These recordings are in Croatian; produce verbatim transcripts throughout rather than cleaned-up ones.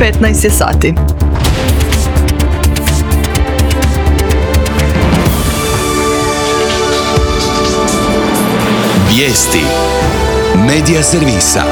petnaest je sati. Vijesti Medija servisa.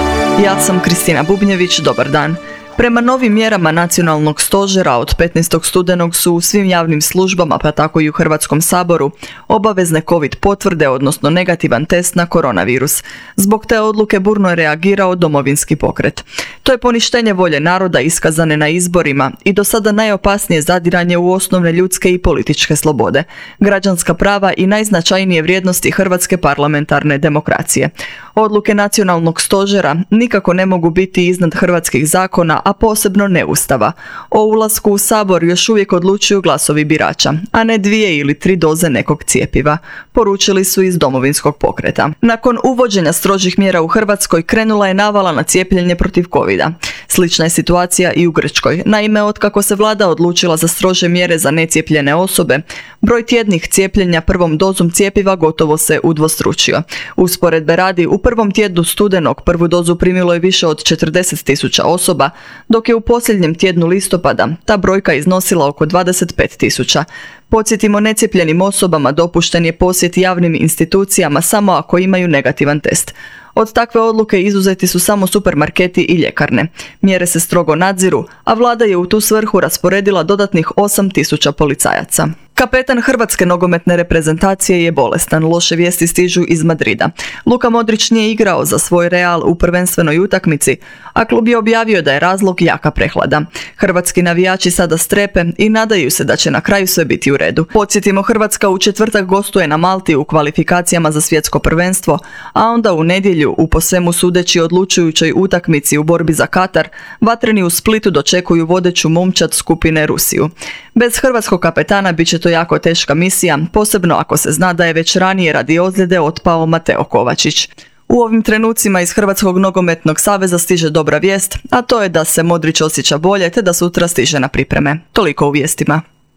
Ja sam Kristina Bubnjević, dobar dan. Prema novim mjerama Nacionalnog stožera od petnaestog studenog su u svim javnim službama, pa tako i u Hrvatskom saboru, obavezne COVID potvrde, odnosno negativan test na koronavirus. Zbog te odluke burno je reagirao Domovinski pokret. To je poništenje volje naroda iskazane na izborima i do sada najopasnije zadiranje u osnovne ljudske i političke slobode, građanska prava i najznačajnije vrijednosti hrvatske parlamentarne demokracije. Odluke Nacionalnog stožera nikako ne mogu biti iznad hrvatskih zakona, a posebno ne Ustava. O ulasku u Sabor još uvijek odlučuju glasovi birača, a ne dvije ili tri doze nekog cjepiva, poručili su iz Domovinskog pokreta. Nakon uvođenja strožih mjera u Hrvatskoj krenula je navala na cijepljenje protiv covida. Slična je situacija i u Grčkoj. Naime, otkako se vlada odlučila za strože mjere za necijepljene osobe, broj tjednih cijepljenja prvom dozom cjepiva gotovo se udvostručio. Usporedbe radi, u prvom tjednu studenog prvu dozu primilo je više od četrdeset tisuća osoba, dok je u posljednjem tjednu listopada ta brojka iznosila oko dvadeset pet tisuća. Podsjetimo, necijepljenim osobama dopušten je posjet javnim institucijama samo ako imaju negativan test. Od takve odluke izuzeti su samo supermarketi i ljekarne. Mjere se strogo nadziru, a vlada je u tu svrhu rasporedila dodatnih osam tisuća policajaca. Kapetan hrvatske nogometne reprezentacije je bolestan, loše vijesti stižu iz Madrida. Luka Modrić nije igrao za svoj Real u prvenstvenoj utakmici, a klub je objavio da je razlog jaka prehlada. Hrvatski navijači sada strepe i nadaju se da će na kraju sve biti u redu. Podsjetimo, Hrvatska u četvrtak gostuje na Malti u kvalifikacijama za svjetsko prvenstvo, a onda u nedjelju u po svemu sudeći odlučujućoj utakmici u borbi za Katar, vatreni u Splitu dočekuju vodeću momčad skupine Rusiju. Bez hrvatskog kapetana bit će to jako teška misija, posebno ako se zna da je već ranije radi ozljede otpao Mateo Kovačić. U ovim trenucima iz Hrvatskog nogometnog saveza stiže dobra vijest, a to je da se Modrić osjeća bolje te da sutra stiže na pripreme. Toliko u vijestima.